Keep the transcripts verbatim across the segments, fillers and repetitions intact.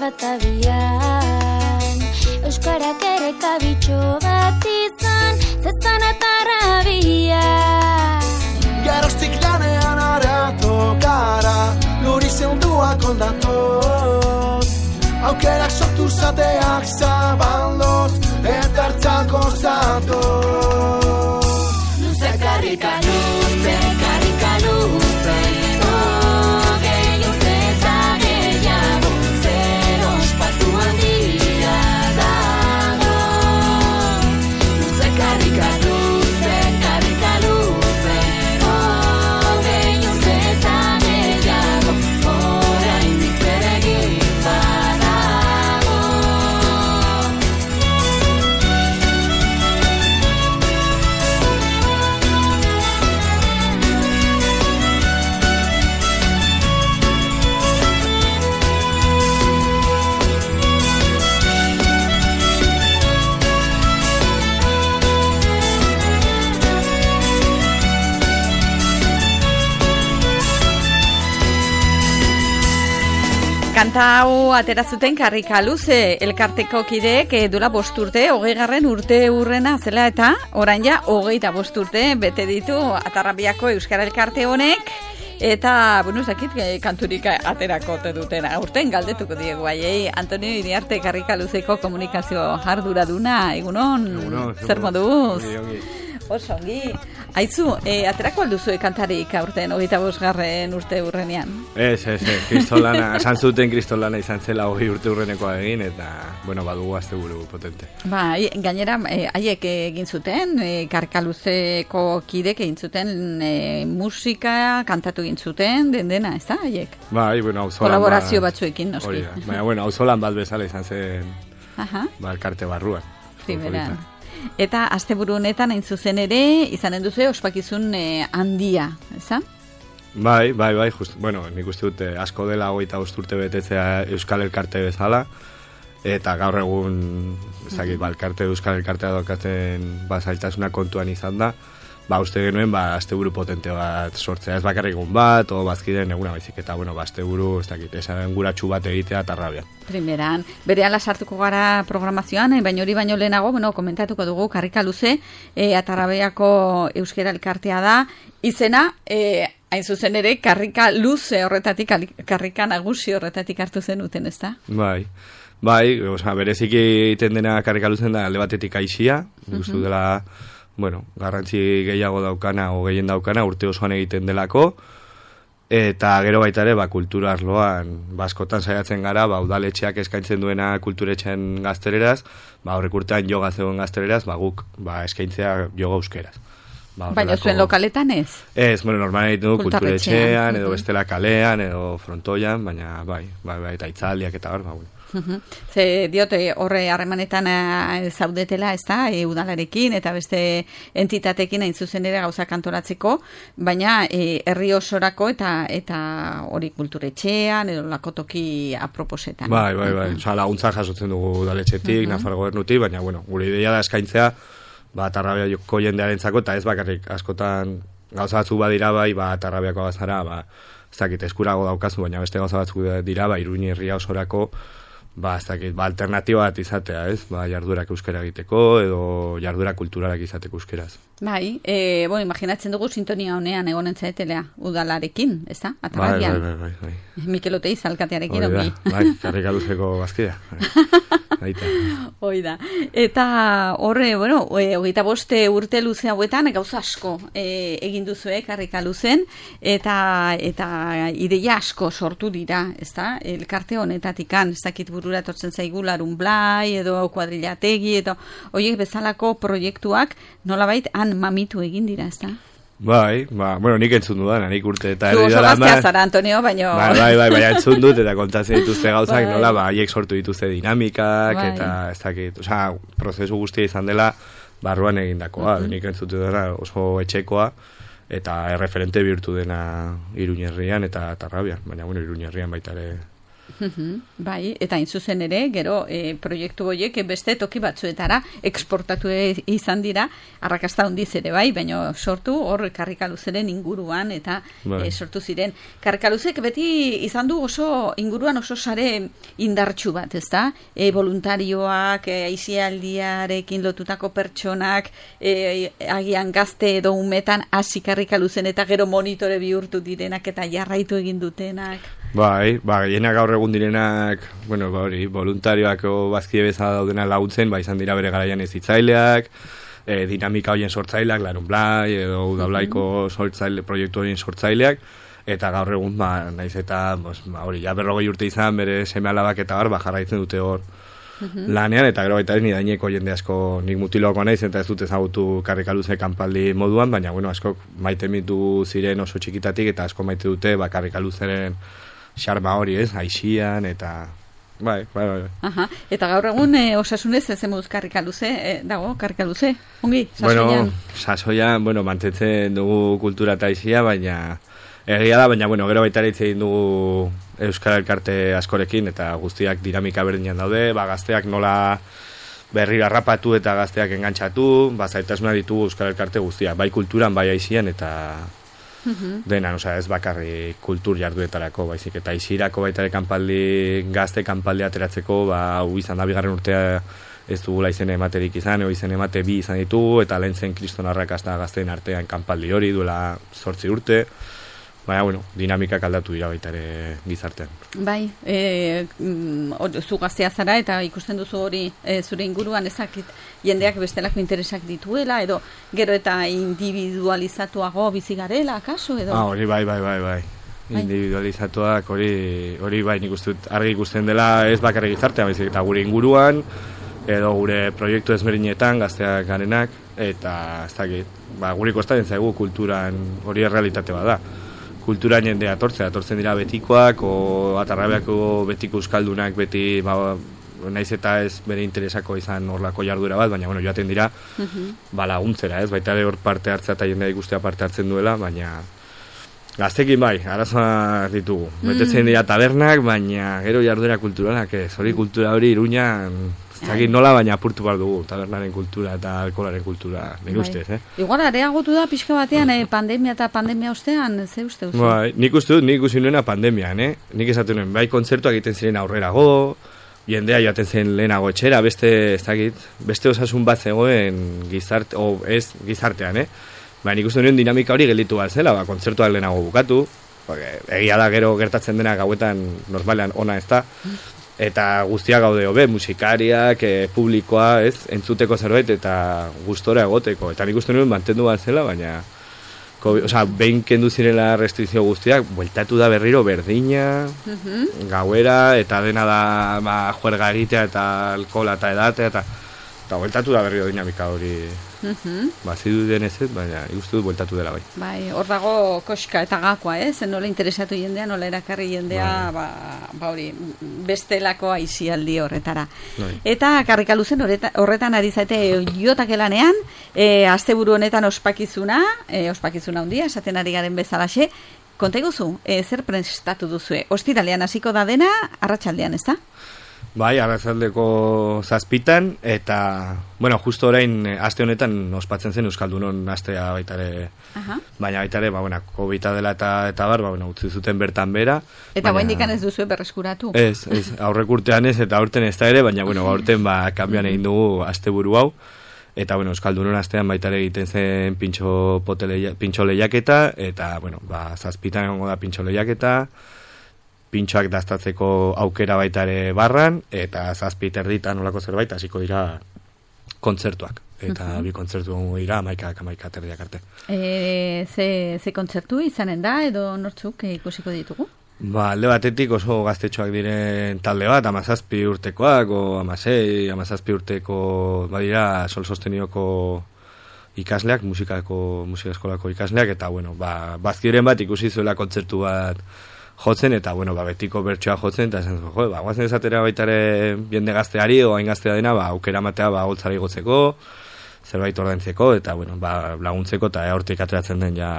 bat abian, euskarak ere kabitxo bat izan, zezan atarrabia. Geroztik lanean aratu gara, luri zeunduak ondatoz, aukerak sortu zateak zabaldoz, eta hartzako zatoz. Luze karrika, luze karrika, luze, hogei urte eta gehiago, zer ospatu handia dago. Luze karrika, luze karrika, luze, hogei urte eta gehiago, oraindik zer egin badago. Kanta hau atera zuten Karrika Luze elkarteko kideek eh, duela bost urte, hogeigarren urte urrena zela eta orain ja hogeita bost urte bete ditu Atarrabiako Euskara Elkarte honek eta, bueno, ez dakit eh, kanturik aterako te duten aurten galdetuko diegu haiei. Antonio Iriarte Karrika Luzeko komunikazio arduraduna, egunon, Egunon, zer moduz? Ongi, ongi. Oso ongi. Aizu, eh, aterako alduzue kantarik aurten hogeita bosgarren urte urrenean? Ez, ez, ez, kristolana, esan zuten kristolana izan zela hogei urte urrenekoa egin, eta, bueno, badugu azte buru potente. Ba, gainera, eh, haiek egin zuten, eh, Karrika Luzeko kidek egin zuten eh, musika, kantatu egin zuten, den dena, ez da, haiek? Bai, bueno, auzolan Kolaborazio ba- batzuekin, noski. Hori da, baina, bueno, auzolan bat bezala izan zen, Aha, ba, elkarte barruan. primeran. Eta asteburu honetan hain zuzen ere, izanen duzu ospakizun eh, handia, ezta? Bai, bai, bai, just, bueno, nik uste dut eh, asko dela hogeita bost urte betetzea Euskal Elkarte bezala, eta gaur egun, ez dakit, ba, elkarte, Euskal Elkartea daukaten ba, zailtasuna kontuan izan da, ba, uste genuen, ba, asteburu potente bat sortzea, ez bakarrik egun bat, o bazkideen eguna baizik, eta, bueno, ba, asteburu, ez dakit, esan guratxu bat egitea Atarrabian. Primeran, berehala sartuko gara programazioan, eh, baina hori baino lehenago, bueno, komentatuko dugu Karrika Luze, eh, Atarrabiako Euskara Elkartea da, izena, eh, hain zuzen ere, Karrika Luze horretatik, Karrika Nagusi horretatik hartu zenuten, ez da? Bai, bai, osea, bereziki egiten dena Karrika Luzen da alde batetik aisia, nik uste dut dela, bueno, garrantzi gehiago daukana o gehien daukana urte osoan egiten delako, eta gero baita ere, ba, kultura arloan, ba, askotan saiatzen gara, ba, udaletxeak eskaintzen duena kulturetxean gazteleraz, ba, horrek urtean joga zegoen gazteleraz, ba, guk, ba, eskaintzea joga euskeraz. Ba, Baina horrelako- zuen lokaletan ez? Ez, bueno, normalen egiten du Kulturretxean, kulturetxean, edo mhm. bestela kalean, edo frontoian, baina, bai, bai, bai, eta itzaldiak eta hor, ba, bueno. Mhm. Ze diote horre harremanetan eh, zaudetela, ez da, e, udalarekin eta beste entitatekin hain zuzen ere gauzak antolatzeko, baina eh, herri osorako eta eta hori kulturetxean edo lakotoki aproposetan. Bai, bai, bai, osea, laguntza jasotzen dugu udaletxetik, Nafar gobernutik, baina, bueno, gure ideia da eskaintzea, ba, Atarrabiako jendearentzako, eta ez bakarrik, askotan gauza batzuk badira bai, ba, Atarrabiako bazara, ba, ez dakit, eskurago daukazu, baina beste gauza batzuk dira, ba, Iruña herria osorako, ba, ez dakit, ba, alternatiba bat izatea, ez? Ba, jardurak euskara egiteko, edo jardurak kulturalak izateko euskeraz. Bai, e, bueno, imaginatzen dugu sintonia honean egonen zaetelea udalarekin, ez da? Bai, Atarrabian. bai, bai, bai, bai. Mikel Oteiz alkatearekin Hori da, ongi. bai, Karrika Luzeko bazkidea. Aita. Hoi da. Eta horre, bueno, e, hogeita boste urte luze hauetan gauza asko e, egin duzue Karrika Luzen eta eta ideia asko sortu dira, ezta? Elkarte honetatikan, ez dakit burura etortzen zaigu Larun Blai edo kuadrillategi edo hoiek bezalako proiektuak nolabait han mamitu egin dira, ezta? Bai, ba, bueno, nik entzun dudan, nik urte eta Tu erdi oso dela gaztea ama- zara, Antonio, baino... Bai, bai, bai, bai, entzun dut eta kontatzen dituzte gauzak, Bai. nola, ba, haiek sortu dituzte dinamikak, Bai. eta ez dakit, osea, prozesu guztia izan dela barruan egindakoa, Mhm. nik entzut dena oso etxekoa, eta erreferente bihurtu dena Iruña herrian eta Atarrabian, baina, bueno, Iruña herrian baita ere Bai, eta hain zuzen ere, gero e, proiektu horiek beste toki batzuetara eksportatu e, izan dira, arrakasta handiz ere bai, baina sortu hor Karrikaluzeren inguruan eta bai. e, sortu ziren. Karrikaluzek beti izan du oso inguruan oso sare indartsu bat, ezta? E, voluntarioak, e, aisialdiarekin lotutako pertsonak, e, agian gazte edo umetan hasi Karrikaluzen eta gero monitore bihurtu direnak eta jarraitu egin dutenak. Bai, ba, gehienak gaur egun direnak, bueno, ba, hori, voluntarioak o bazkide bezala daudena laguntzen, ba, izan dira bere garaian ezitzaileak, e, dinamika horien sortzaileak, Larun Blai, edo Udablaiko sortzaile, proiektu horien sortzaileak, eta gaur egun, ba, naiz eta, bos, ba, hori, ja berrogei urte izan, bere seme alabak eta bar, ba, jarraitzen dute hor lanean, eta gero baita ez nidaineko jende asko, nik mutiloako naiz, eta ez dut ezagutu Karrikaluze kanpaldi moduan, baina, bueno, askok maite mitu ziren oso txikitatik, eta asko maite dute, ba, Karrikaluzeren xarma hori, ez, aixian, eta bai, bai, bai. Aha. Eta gaur egun e, osasunez ez emuz Karrikaluze, e, dago, Karrikaluze, ongi, sasoian? Bueno, sasoian, bueno, mantentzen dugu kultura eta aixia, baina egia da, baina, bueno, gero baita ere hitz egin dugu Euskal Elkarte askorekin, eta guztiak dinamika berdinean daude, ba, gazteak nola berriro harrapatu eta gazteak engantzatu, ba, zaitasuna ditugu Euskal Elkarte guztiak, bai kulturan, bai aixian, eta dena, osea, ez bakarri kultur jarduetarako, baizik, eta isirako baita ere kanpaldi, gazte kanpaldi ateratzeko, ba, hau izan da bigarren urtea ez dugula izen ematerik izan, o izen emate bi izan ditugu, eta lehen zen kriston arrakasta gazteen artean kanpaldi hori duela zortzi urte, baina, bueno, dinamikak aldatu dira baita ere gizartean. Bai, e, or, zu gaztea zara eta ikusten duzu hori e, zure inguruan ezakit jendeak bestelako interesak dituela, edo gero eta individualizatuago bizi garela, akaso, edo? Ah, hori bai, bai, bai, bai. Individualizatuak hori, hori bai, nik uste dut argi ikusten dela ez bakarrik gizartean, baizik eta gure inguruan, edo gure proiektu ezberdinetan gazteak garenak, eta ez dakit, ba, guri kostatzen zaigu kulturan hori errealitate bat da. Kulturan jendea atortzea, atortzen dira betikoak, o Atarrabeako betiko euskaldunak beti, ba, naiz eta ez bere interesako izan horlako jardura bat, baina, bueno, joaten dira, ba, laguntzera, ez, baita ere hor parte hartzea eta jendea ikustea parte hartzen duela, baina gaztekin bai, arazoa ditugu. Betetzen dira tabernak, baina gero jarduera kulturalak ez, hori kultura hori Iruñan, ez dakit nola, baina apurtu behar dugu, tabernaren kultura eta alkoholaren kultura, nire ustez, eh? Igual, areagotu da pixka batean, eh, pandemia eta pandemia ostean, ze uste uste? Bai, nik uste dut, nik ikusi nuena pandemian, eh? Nik esatu nuen, bai kontzertuak egiten ziren aurrerago, jendea joaten zen lehenago etxera, beste, ez dakit, beste osasun bat zegoen gizarte, o ez gizartean, eh? Baina nik uste nuen dinamika hori gelditu bat zela, ba, kontzertuak lehenago bukatu, porque egia da gero gertatzen dena gauetan normalean ona ez da, eta guztia gaude hobe, musikariak, e, publikoa, ez, entzuteko zerbait eta gustora egoteko. Eta nik uste nuen mantendu bat zela, baina osea, behin kendu zirela restrikzio guztiak, bueltatu da berriro berdina, uh-huh. gauera, eta dena da ba, juerga egitea eta alkohola eta edatea, eta, eta bueltatu da berriro dinamika hori. Uh-huh. Ba, zidu denez ez, baina ikustu dut bueltatu dela bai. Bai, hor dago koska eta gakoa, ez? Eh? Nola interesatu jendea, nola erakarri jendea, bai. ba, ba hori, bestelako aisialdi horretara. Bai. Eta Karrikaluzen horreta, horretan ari zaite jotak elanean, e, asteburu honetan ospakizuna, e, ospakizuna handia, esaten ari garen bezalaxe, konta iguzu, e, zer prestatu duzue? Ostiralean hasiko da dena, arratsaldean, ez da? Bai, arratsaldeko zazpitan, eta, bueno, justo orain, aste honetan ospatzen zen Euskaldunon astea baita ere, uh-huh. baina baita ere, ba, bueno, kobita dela eta, eta bar, ba, bueno, utzi zuten bertan bera. Eta baina indikan ez duzu berreskuratu? Ez, ez, aurrek urtean ez, eta aurten ez da ere, baina, bueno, aurten, ba, kanbian egin dugu asteburu hau, eta, bueno, Euskaldunon astean baita ere egiten zen pintxo, potele, pintxo lehiaketa, eta, bueno, ba, zazpitan egongo da pintxo lehiaketa, pintxoak daztatzeko aukera baita ere barran, eta zazpit erditan olako zerbait, hasiko dira kontzertuak. Eta uh-huh. bi kontzertu dira, amaikak, amaikak erdiak arte. E, ze, ze kontzertu izanen da, edo nortzuk ikusiko ditugu? Ba, alde batetik oso gaztetxoak diren talde bat, amazazpi urtekoak, o amasei, amazazpi urteko, badira, sol sostenioko ikasleak, musikako, musika eskolako ikasleak, eta, bueno, ba, bazkiren bat ikusi zuela kontzertu bat jotzen, eta, bueno, ba, betiko bertsoa jotzen, eta esan zuen, jo, ba, guazen esatera baitare jende gazteari, o hain gaztea dena, ba, aukera matea, ba, holtzara igotzeko, zerbait ordaintzeko, eta, bueno, ba, laguntzeko, eta hortik ateratzen den, ja,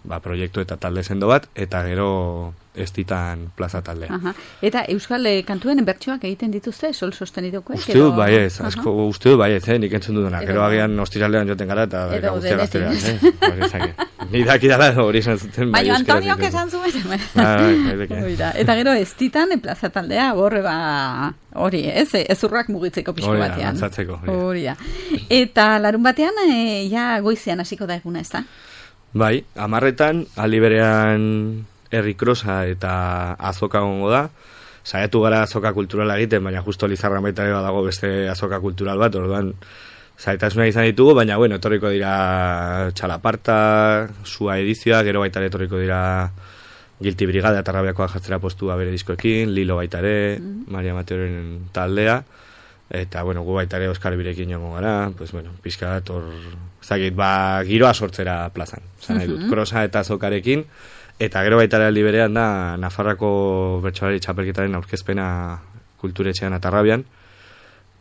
ba, proiektu eta talde sendo bat, eta gero estitan plaza taldea. Aha. Eta Euskal eh, kantuen bertsioak egiten dituzte, sol sostenidokoek? Uste dut bai ez, asko, uste dut bai ez, eh, nik entzun dudana. Gero agian ostiralean joten gara eta Edo guztia gazterean. denetik. Eh? Ni dakidala hori esan zuten. Baina Antonio esan zuen. Oida, eta gero estitan plaza taldea horre ba hori, ez? Ezurrak mugitzeko pixko Hori da, batean. dantzatzeko, hori da. Hori da. Eta larun batean e, ja goizean hasiko da eguna, ez da? Bai, amarretan, aldi berean herri krosa eta azoka gongo da. Saiatu gara azoka kulturala egiten, baina justo Lizarra baita ere badago beste azoka kultural bat, orduan zaitasuna izan ditugu, baina bueno, etorriko dira Txalaparta, Sua edizioa, gero baita ere etorriko dira Guilty Brigada eta Rabiakoa jartzera postua bere diskoekin, Lilo baita ere, mm. Maria Mateoren taldea, eta bueno, gu baita ere Oskar Birekin joango gara, pues bueno, pixka bat hor, zakit, ba, giroa sortzera plazan, zan nahi dut, krosa eta azokarekin, eta gero baita ere aldi berean da Nafarrako bertsolari txapelketaren aurkezpena kulturetxean eta Rabian,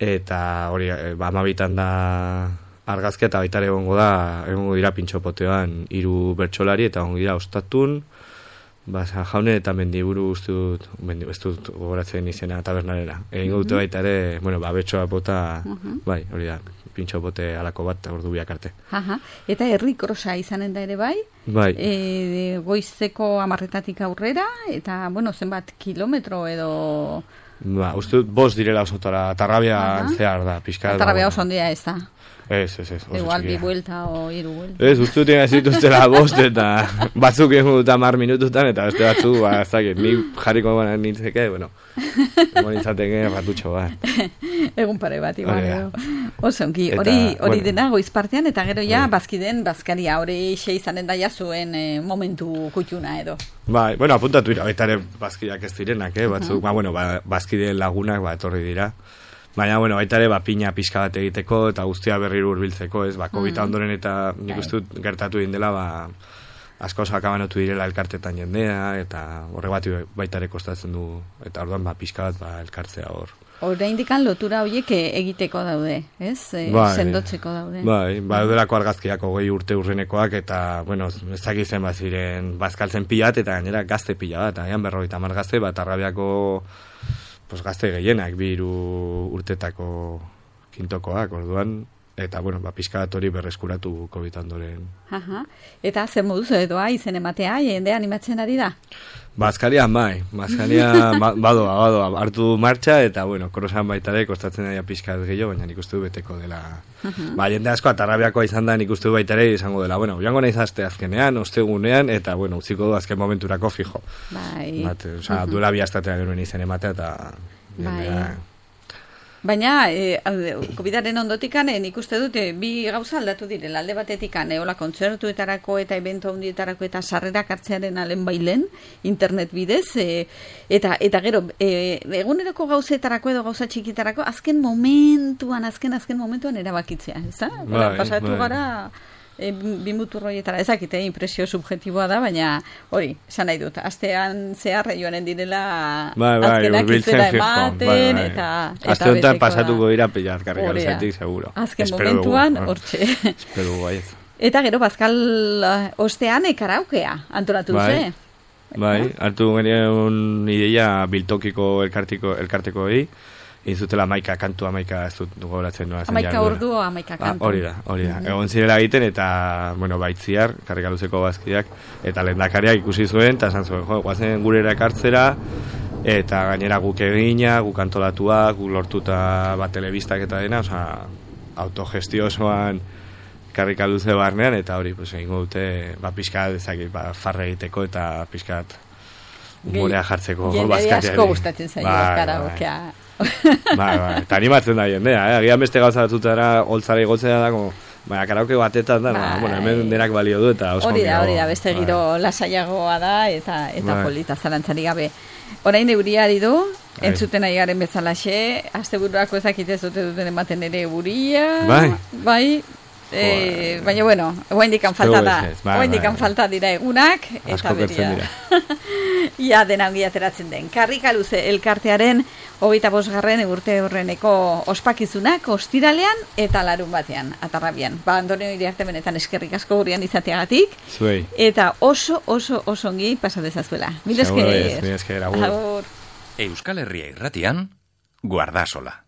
eta hori, ba, amabitan da argazkia eta baita ere egongo da, egongo dira pintxopoteoan hiru bertsolari eta egongo dira Ostatun, ba, Jaunen eta Mendiburu uste dut, mendi, ez dut gogoratzen izena tabernarera. Egingo dute baita ere, bueno, ba, betxoa bota, bai, hori da, pintxopote alako bat, ordu biak arte. Aha. Eta herri krosa izanen da ere bai, bai. E, goizeko amarretatik aurrera, eta, bueno, zenbat kilometro edo... Ba, uste dut bost direla osotara, Tarrabia zehar da, pixka. Tarrabia oso handia ez da. Ez, ez, ez. Igual bi buelta o hiru buelta. Ez, uste dut zituztela bost eta batzuk egun dut amar minututan eta beste batzuk, ba, ez dakit, ni jarriko gana nintzeke, bueno, egon nintzateke ratutxo bat. Egun pare bat, igual, edo. Oso, ongi, hori, hori dena goiz partean, eta gero ja, bazkiden, bazkaria, hori xe izanen daia zuen eh, momentu kutxuna edo. Bai, bueno, apuntatu dira, baita ere bazkideak ez direnak, eh, batzuk, uh-huh. ba, bueno, ba, bazkideen lagunak, ba, etorri dira. Baina, bueno, baita ere, ba, pina pixka bat egiteko eta guztia berriro hurbiltzeko, ez, ba, COVID mm. ondoren eta nik uste dut gertatu dindela, ba, asko sakabanotu direla elkartetan jendea, eta horre bat baita ere kostatzen du, eta orduan, ba, pixka bat, ba, elkartzea hor. Horre indikan lotura horiek egiteko daude, ez? E, bai, sendotzeko daude. Bai, ba, delako argazkiak hogei urte urrenekoak, eta, bueno, ez dakizen baziren, bazkaltzen pilat, eta gainera gazte pila bat, agian berrogeita hamar gazte, bat Arrabiako pues gazte gehienak, bi hiru urtetako kintokoak, orduan, eta, bueno, ba, pixka bat hori berreskuratu COVID ondoren. Aha. Eta zer moduz edoa izen ematea, jende animatzen ari da? Bazkarian bai, bazkaria badoa, badoa, hartu martxa, eta, bueno, korosan baita ere, kostatzen daia pixka bat gehiago, baina nik uste du beteko dela. Uh-huh. Ba, jende asko, atarrabiakoa izan da, nik uste du baita ere, izango dela, bueno, joango nahi zazte azkenean, ostegunean, eta, bueno, utziko du azken momenturako fijo. Bai. Bat, oza, uh-huh. duela bi astatea genuen izen ematea, eta... Bai. Baina, e, COVIDaren ondotikan, e, nik uste dut, e, bi gauza aldatu direla, alde batetikan, e, hola, kontzertuetarako eta evento handietarako eta sarrerak hartzearen alen bailen, internet bidez, e, eta eta gero, e, eguneroko gauzetarako edo gauza txikitarako, azken momentuan, azken, azken momentuan erabakitzea, ez da? Bai, pasatu bai. gara... E, bimuturroietara, ezakite, impresio subjetiboa da, baina hori, esan nahi dut, astean zehar joanen direla bai, bai, azkenak izera ematen, bai, bai. eta... Aste honetan pasatuko dira pilar karrika luzetik, seguro. Azken espero momentuan, hortxe. Espero bai. Eta gero, Bazkal ostean ekaraukea, antolatu bai, duze. Bai, hartu genuen ideia biltokiko elkartiko, elkarteko egi, izutela amaika kantu, amaika ez dut gogoratzen nola zen. Amaika ordu, amaika kantu. Hori da, hori da. Egon zirela egiten eta, bueno, baitziar, karrikaluzeko bazkideak, eta lehendakariak ikusi zuen, eta esan zuen, jo, guazen gurera ekartzera, eta gainera guk egina, guk antolatua, guk lortuta bat telebistak eta dena, oza, autogestio osoan karrikaluze barnean, eta hori, pues, egingo dute, ba, pixkat, ezakit, ba, farre egiteko eta pixkat humorea jartzeko bazkariari. Jende asko gustatzen zaio karaokea. Bai, bai, eta animatzen da jendea, eh? Agian beste gauza batzutara holtzara igotzea da, como, baina karaoke batetan da, bai. Bueno, hemen denak balio du, eta oso hori da, hori da, beste giro bai. Lasaiagoa da, eta eta bai. Polita zalantzari gabe. Orain euria ari du, bai. Entzuten ari garen bezalaxe, asteburuako ezakite zute duten ematen ere euria, bai, bai, E, baina, bueno, oaindikan falta da. Bai, Oaindikan bai. falta dira egunak, eta Asko gertzen beria. Ia dena ongi ateratzen den. Karrikaluze elkartearen hogeita bosgarren urte horreneko ospakizunak ostiralean eta larun batean, atarrabian. Ba, Antonio Iriarte benetan eskerrik asko gurean izateagatik. Zuei. Eta oso, oso, oso ongi pasa dezazuela. Mil esker. Mil esker, agur. Agur. Euskal Herria irratian, Guardasola.